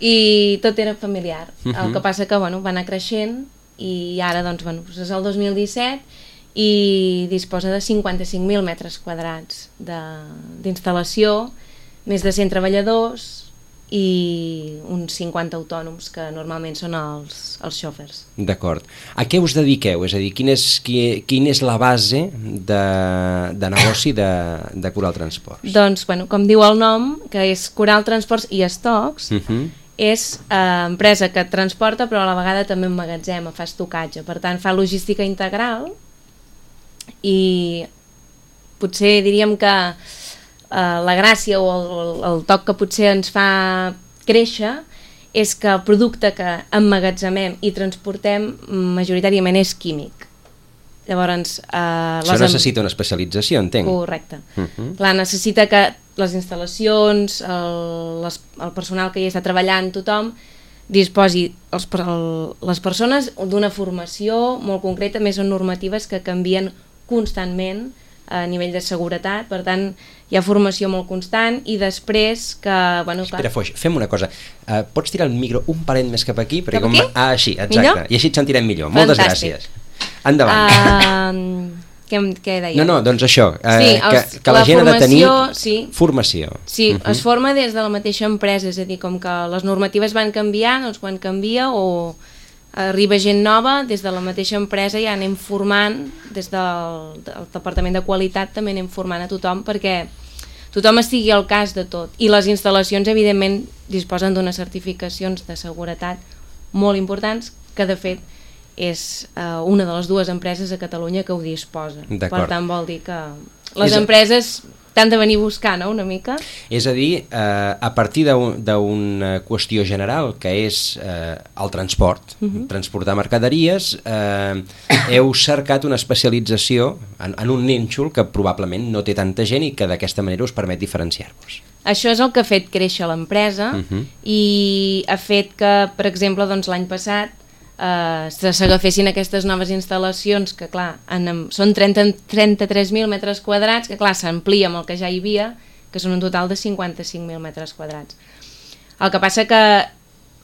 I tot era familiar. Uh -huh. El que passa que, bueno, va anar creixent i ara, doncs, bueno, és el dos mil disset i disposa de cinquanta-cinc mil metres quadrats d'instal·lació, més de cent treballadors i uns cinquanta autònoms que normalment són els, els xòfers. D'acord. A què us dediqueu? És a dir, quina és, qui, quina és la base de, de negoci de, de Coral Transports? Doncs, bueno, com diu el nom, que és Coral Transports i Estocs, uh -huh. és eh, empresa que transporta però a la vegada també emmagatzema, fa estocatge, per tant fa logística integral i potser diríem que Uh, la gràcia o el, el toc que potser ens fa créixer és que el producte que emmagatzemem i transportem majoritàriament és químic. Llavors, uh, això necessita una especialització, entenc. Correcte. Uh -huh. Clar, necessita que les instal·lacions, el, les, el personal que hi està treballant, tothom, disposi els, el, les persones d'una formació molt concreta, més són normatives que canvien constantment a nivell de seguretat, per tant hi ha formació molt constant i després que... Bueno, Espera, clar... Foix, fem una cosa, uh, pots tirar el micro un parell més cap aquí? Cap com... aquí? Ah, així, exacte, millor? I així et sentirem millor. Fantàstic. Moltes gràcies. Endavant. Uh, què, què deia? No, no, doncs això, uh, sí, els, que, que la, la gent formació, ha de tenir sí. formació. Sí, uh -huh. es forma des de la mateixa empresa, és a dir, com que les normatives van canviar, doncs quan canvia o arriba gent nova, des de la mateixa empresa ja anem formant, des del, del Departament de Qualitat també anem formant a tothom perquè tothom estigui al cas de tot. I les instal·lacions, evidentment, disposen d'unes certificacions de seguretat molt importants, que de fet és uh, una de les dues empreses a Catalunya que ho disposa. Per tant, vol dir que les és... empreses t'han de venir a buscar, no?, una mica. És a dir, eh, a partir d'una un, qüestió general, que és eh, el transport, uh-huh. transportar mercaderies, eh, heu cercat una especialització en, en un nínxol que probablement no té tanta gent i que d'aquesta manera us permet diferenciar-vos. Això és el que ha fet créixer l'empresa uh-huh. i ha fet que, per exemple, doncs, l'any passat Uh, s'agafessin aquestes noves instal·lacions que clar, en, són trenta-tres mil metres quadrats, que clar, s'amplia amb el que ja hi havia, que són un total de cinquanta-cinc mil metres quadrats. El que passa que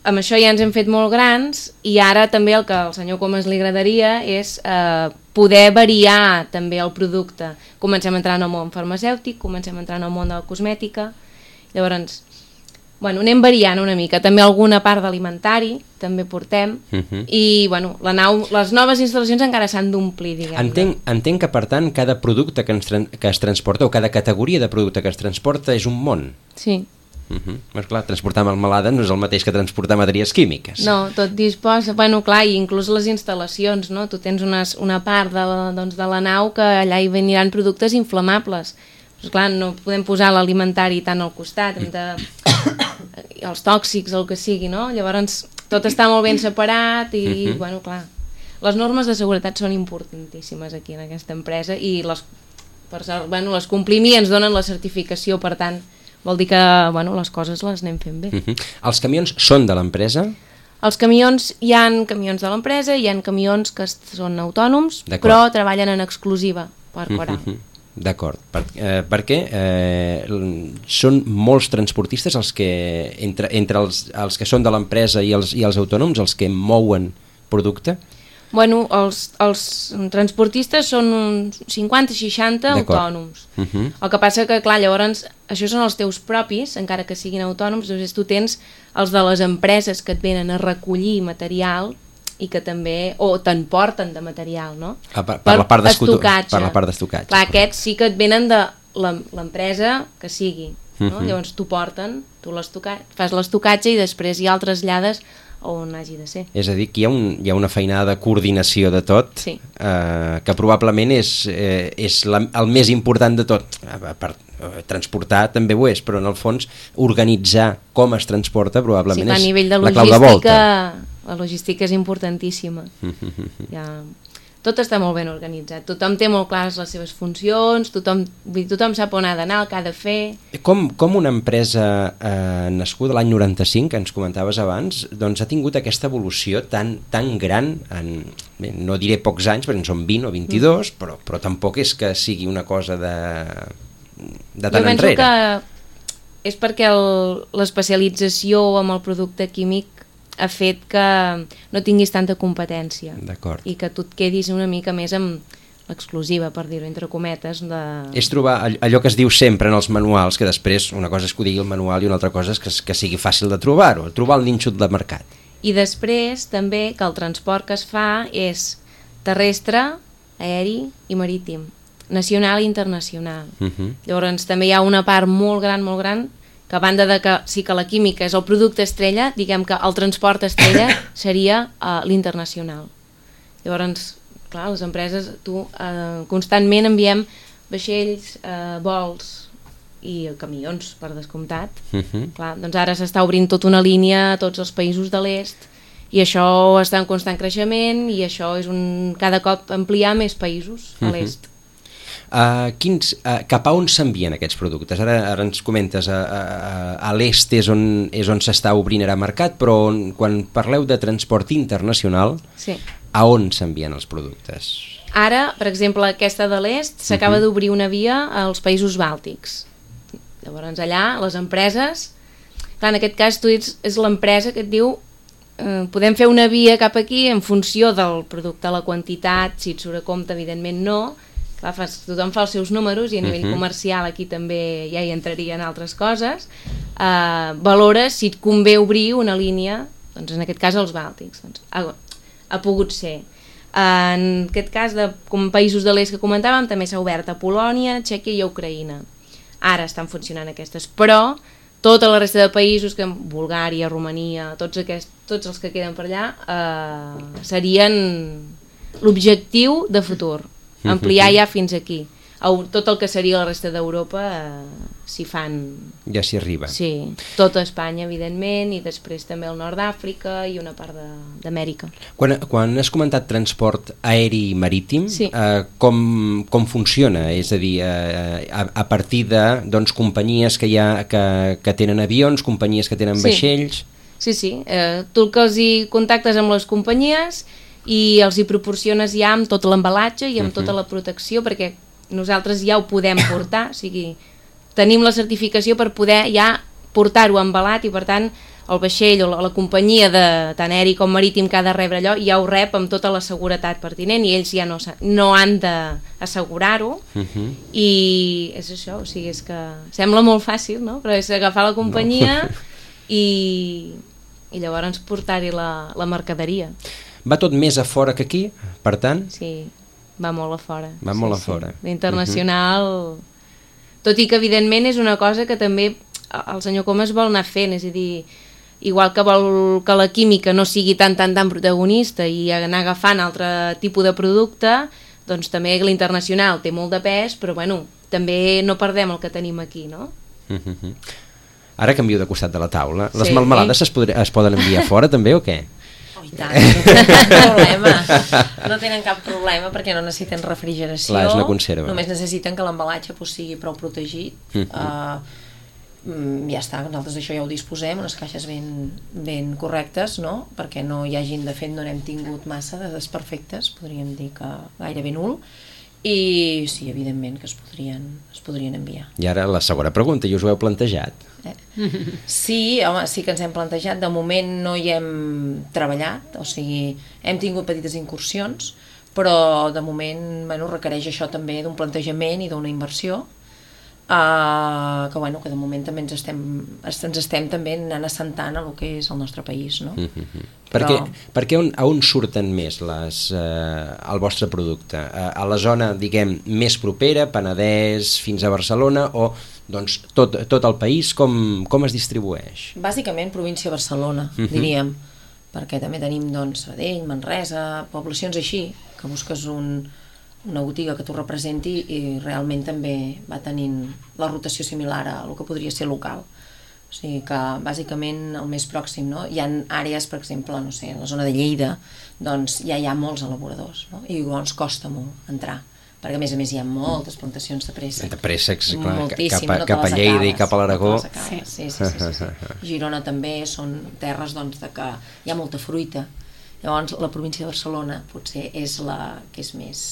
amb això ja ens hem fet molt grans i ara també el que al senyor Comas li agradaria és uh, poder variar també el producte. Comencem a entrar en el món farmacèutic, comencem a entrar en el món de la cosmètica, llavors bueno, anem variant una mica, també alguna part d'alimentari també portem, uh-huh. i bueno, la nau, les noves instal·lacions encara s'han d'omplir, diguem-ne. Entenc, entenc que per tant cada producte que, ens, que es transporta o cada categoria de producte que es transporta és un món. Sí. Uh-huh. Però clar, transportar melmelada no és el mateix que transportar matèries químiques. No, tot disposa, bueno clar, i inclús les instal·lacions, no? Tu tens unes, una part de la, doncs, de la nau que allà hi veniran productes inflamables. Pues clar, no podem posar l'alimentari tant al costat, hem de... els tòxics, el que sigui, no? Llavors tot està molt ben separat i, uh-huh. bueno, clar, les normes de seguretat són importantíssimes aquí en aquesta empresa i les, per, bueno, les complim i ens donen la certificació, per tant, vol dir que, bueno, les coses les anem fent bé. Uh-huh. Els camions són de l'empresa? Els camions, hi ha camions de l'empresa, hi ha camions que són autònoms, però treballen en exclusiva per Coral. Uh-huh. D'acord, per, eh, perquè eh, són molts transportistes els que, entre, entre els, els que són de l'empresa i els, i els autònoms, els que mouen producte? Bueno, els, els transportistes són uns cinquanta seixanta autònoms. Uh -huh. El que passa que, clar, llavors, això són els teus propis, encara que siguin autònoms, doncs tu tens els de les empreses que et venen a recollir material i que també, o t'emporten de material, no? Ah, per, per, la part estocatge. per la part d'estocatge. Clar, aquests sí que et venen de l'empresa que sigui, no? Uh -huh. Llavors t'ho porten, tu fas l'estocatge i després ja el trasllades on hagi de ser. És a dir, que hi ha, un, hi ha una feinada de coordinació de tot, sí. eh, que probablement és, eh, és la, el més important de tot. A part, eh, transportar també ho és, però en el fons organitzar com es transporta probablement sí, és a nivell de la clau de volta. La logística és importantíssima. Ja... Tot està molt ben organitzat, tothom té molt clares les seves funcions, tothom, tothom sap on ha d'anar, el que ha de fer. Com, com una empresa eh, nascuda l'any noranta-cinc, que ens comentaves abans, doncs ha tingut aquesta evolució tan, tan gran, en, bé, no diré pocs anys, perquè en són vint o vint-i-dos, mm. però, però tampoc és que sigui una cosa de, de tant enrere. Jo penso que és perquè l'especialització amb el producte químic ha fet que no tinguis tanta competència i que tu et quedis una mica més amb l'exclusiva, per dir-ho entre cometes de... És trobar allò que es diu sempre en els manuals, que després una cosa és que ho digui el manual i una altra cosa és que, que sigui fàcil de trobar-ho, trobar el nínxol de mercat. I després també que el transport que es fa és terrestre, aeri i marítim, nacional i internacional. Uh-huh. Llavors també hi ha una part molt gran, molt gran que a banda de que sí que la química és el producte estrella, diguem que el transport estrella seria uh, l'internacional. Llavors, clar, les empreses, tu uh, constantment enviem vaixells, uh, vols i camions, per descomptat. Uh-huh. Clar, doncs ara s'està obrint tota una línia a tots els països de l'est i això està en constant creixement i això és un cada cop ampliar més països a l'est. Uh-huh. Uh, quins, uh, cap a on s'envien aquests productes? Ara, ara ens comentes, a, a, a l'est és on, és on s'està obrint ara mercat, però on, quan parleu de transport internacional, sí. A on s'envien els productes? Ara, per exemple, aquesta de l'est s'acaba uh-huh. d'obrir una via als països bàltics. Llavors allà les empreses, clar, en aquest cas tu ets, és l'empresa que et diu eh, podem fer una via cap aquí en funció del producte, la quantitat, si et surt a compte, evidentment no. Clar, fas, tothom fa els seus números i a nivell uh-huh. comercial aquí també ja hi entrarien altres coses. Uh, valores si et convé obrir una línia, doncs en aquest cas els bàltics. Doncs, ha, ha pogut ser. Uh, en aquest cas, de, com països de l'est que comentàvem, també s'ha obert a Polònia, Txèquia i a Ucraïna. Ara estan funcionant aquestes, però tota la resta de països, que Bulgària, Romania, tots, aquests, tots els que queden per allà, uh, serien l'objectiu de futur. Ampliar ja fins aquí. Tot el que seria la resta d'Europa eh, s'hi fan... Ja s'hi arriba. Sí, tota Espanya, evidentment, i després també el nord d'Àfrica i una part d'Amèrica. Quan, quan has comentat transport aeri i marítim, sí. eh, com, com funciona? És a dir, eh, a, a partir de doncs, companyies que, hi ha, que, que tenen avions, companyies que tenen sí. vaixells... Sí, sí. Eh, tu el que els hi contactes amb les companyies i els hi proporciones ja amb tot l'embalatge i amb uh-huh. tota la protecció, perquè nosaltres ja ho podem portar, o sigui, tenim la certificació per poder ja portar-ho embalat i per tant el vaixell o la, la companyia de tant aeri com marítim que ha de rebre allò ja ho rep amb tota la seguretat pertinent i ells ja no, no han d'assegurar-ho uh-huh. i és això, o sigui, és que sembla molt fàcil, no? Però és agafar la companyia no. i, i llavors portar-hi la, la mercaderia. Va tot més a fora que aquí, per tant? Sí, va molt a fora. Va sí, molt a sí. fora. L'internacional... Uh-huh. Tot i que, evidentment, és una cosa que també el senyor Comas vol anar fent, és a dir, igual que vol que la química no sigui tan, tan, tan protagonista i anar agafant altre tipus de producte, doncs també l'internacional té molt de pes, però, bueno, també no perdem el que tenim aquí, no? Uh-huh. Ara canvio de costat de la taula. Les sí. melmelades es, podri, es poden enviar fora, també, o què? Oh, i tant, no tenen cap problema. No tenen cap problema perquè no necessiten refrigeració. Clar, és una conserva. Només necessiten que l'embalatge pues, sigui prou protegit. Uh-huh. uh, ja està, nosaltres això ja ho disposem, unes caixes ben, ben correctes, no? Perquè no hi hagin, de fet, no n'hem tingut massa de desperfectes, podríem dir que gairebé nul. I sí, evidentment que es podrien, es podrien enviar. I ara la segona pregunta, i us ho heu plantejat? Eh? Sí, home, sí que ens hem plantejat. De moment no hi hem treballat, o sigui, hem tingut petites incursions, però de moment bueno, requereix això també d'un plantejament i d'una inversió. Uh, que bueno, que de moment també ens estem, ens estem també anant assentant a lo que és el nostre país, no? Mm-hmm. Però... Perquè, perquè on, a on surten més les, uh, el vostre producte? Uh, a la zona, diguem, més propera, Penedès fins a Barcelona, o doncs, tot, tot el país, com, com es distribueix? Bàsicament província de Barcelona, mm-hmm. diríem, perquè també tenim doncs, Sabadell, Manresa, poblacions així, que busques un... una botiga que t'ho representi i realment també va tenint la rotació similar a el que podria ser local. O sigui que bàsicament el més pròxim, no? Hi ha àrees, per exemple, no sé, a la zona de Lleida, doncs ja hi ha molts elaboradors, no? I llavors costa molt entrar, perquè a més a més hi ha moltes plantacions de préssec. De préssecs, clar, moltíssim, cap a, no cap a Lleida i cap a l'Aragó. No sí. Sí, sí, sí, sí, sí. Girona també són terres doncs, de que hi ha molta fruita. Llavors la província de Barcelona potser és la que és més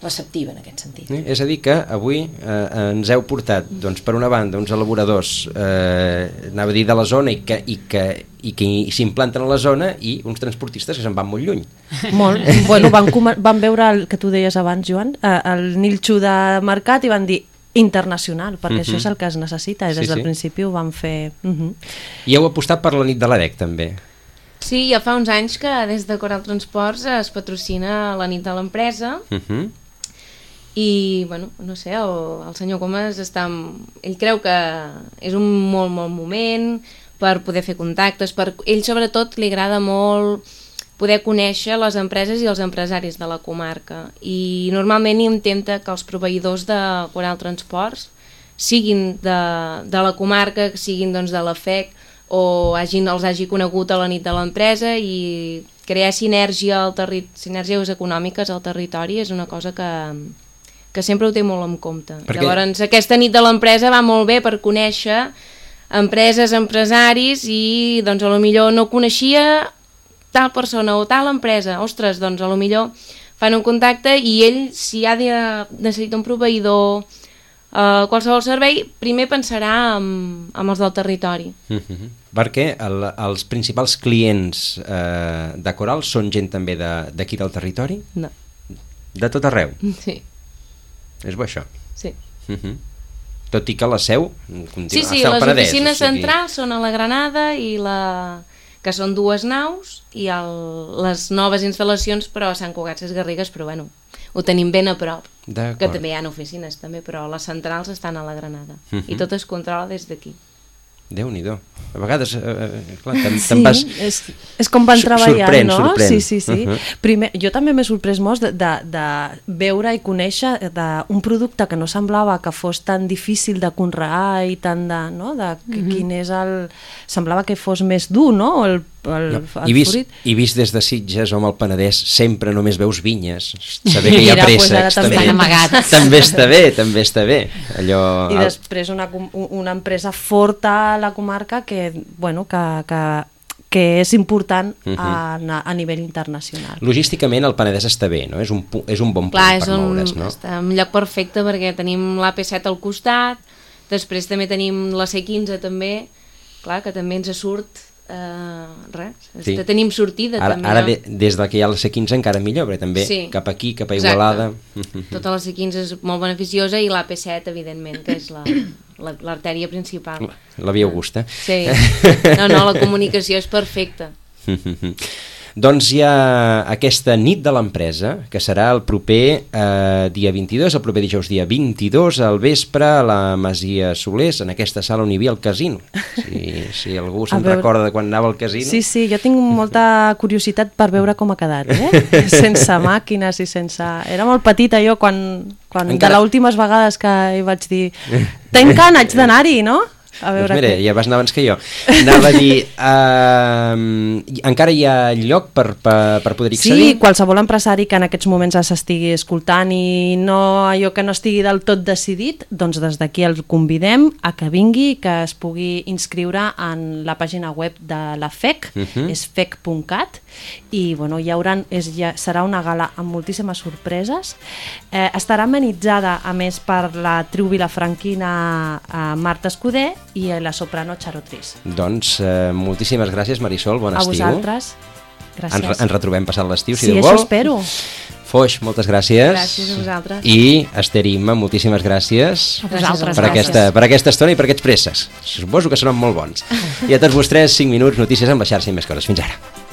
receptiva en aquest sentit. Eh? És a dir que avui eh, ens heu portat doncs, per una banda uns elaboradors eh, anava a dir de la zona i que, i que, i que s'implanten a la zona i uns transportistes que se'n van molt lluny. Molt. Bueno, van, van veure el que tu deies abans, Joan, el nilxo de mercat i van dir internacional, perquè uh-huh. això és el que es necessita i des sí, del sí. principi ho van fer. Uh-huh. I heu apostat per la nit de l'A D E C també. Sí, ja fa uns anys que des de Coral Transports es patrocina la nit de l'empresa. Uh-huh. I, bueno, no sé, el, el senyor Comas està... Ell creu que és un molt, molt moment per poder fer contactes, per... ell sobretot li agrada molt poder conèixer les empreses i els empresaris de la comarca i normalment intenta que els proveïdors de Coral Transports siguin de, de la comarca, siguin doncs, de la F E C o hagin, els hagi conegut a la nit de l'empresa i crear sinergia al terri... sinergies econòmiques al territori és una cosa que... que sempre ho té molt en compte. Perquè... Llavors, aquesta nit de l'empresa va molt bé per conèixer empreses, empresaris i, doncs, a lo millor no coneixia tal persona o tal empresa. Ostres, doncs, a lo millor fan un contacte i ell, si ha de necessita un proveïdor, eh, qualsevol servei, primer pensarà en, en els del territori. Mm-hmm. Perquè el, els principals clients eh, de Coral són gent també d'aquí de, del territori? No. De tot arreu? Sí. És bo això? Sí. Uh-huh. Tot i que la seu continua, sí, sí, està al les Penedès, oficines o sigui... centrals són a la Granada i la... que són dues naus i el... les noves instal·lacions però a Sant Cugat Sesgarrigues, però bueno, ho tenim ben a prop, que també hi ha oficines també, però les centrals estan a la Granada uh-huh. i tot es controla des d'aquí. Déu-n'hi-do. A vegades, eh, clar, te'n sí, vas... és, és com van treballar, sorprèn, no? Sorprèn. Sí, sí, sí. Uh-huh. Primer, jo també m'he sorprès molt de, de, de veure i conèixer d'un producte que no semblava que fos tan difícil de conrear i tant de... No? de uh-huh. quin és el... Semblava que fos més dur, no? El, el, no. el I, vist, fruit. I vist des de Sitges o amb el Penedès sempre només veus vinyes. Saber que hi ha Mira, préssecs pues també, també està bé, també està bé. Allò, I el... després una, una empresa forta a la comarca que, bueno, que, que, que és important uh-huh. a, a nivell internacional. Logísticament el Penedès està bé, no? És un, és un bon punt Clar, per un, moure's, no? Està en un lloc perfecte perquè tenim l'A P set al costat, després també tenim la C quinze també, clar, que també ens surt Uh, res, sí. Tenim sortida ara, també. Ara de, des de que hi ha la C quinze encara millor, perquè també sí. cap aquí, cap a Igualada. Exacte. Tota la C quinze és molt beneficiosa i l'A P set, evidentment, que és la, la, l'artèria principal. La, la Via Augusta. Sí, no, no, la comunicació és perfecta. Doncs hi ha aquesta nit de l'empresa, que serà el proper eh, dia vint-i-dos, el proper dijous dia vint-i-dos, al vespre, a la Masia Solers, en aquesta sala on hi havia el casino. Si, si algú se'n veure... recorda de quan anava al casino. Sí, sí, jo tinc molta curiositat per veure com ha quedat, eh? Sense màquines i sense... Era molt petita jo quan, quan Encara... de les últimes vegades que hi vaig dir tanquen, haig d'anar-hi, no? A veure doncs mira, que... ja vas anar abans que jo. Anava a dir, uh, encara hi ha lloc per, per, per poder accedir? Sí, qualsevol empresari que en aquests moments s'estigui escoltant i no allò que no estigui del tot decidit, doncs des d'aquí el convidem a que vingui, que es pugui inscriure en la pàgina web de la F E C, uh-huh. és fec punt cat, i bueno, hi haurà, és, ja, serà una gala amb moltíssimes sorpreses. Eh, estarà amenitzada, a més, per la tribu vilafranquina eh, Marta Escudé, i la soprano Charotris. Doncs eh, moltíssimes gràcies, Marisol, bon a estiu. A vosaltres, gràcies. Ens, ens retrobem passat l'estiu, si sí, Déu vol. Sí, això espero. Foix, moltes gràcies. Gràcies a vosaltres. I Esther i Imma, moltíssimes gràcies, A vosaltres, per, gràcies. aquesta, per aquesta estona i per aquests préssecs. Suposo que seran molt bons. I a tots vostès, cinc minuts, notícies amb la xarxa i més coses. Fins ara.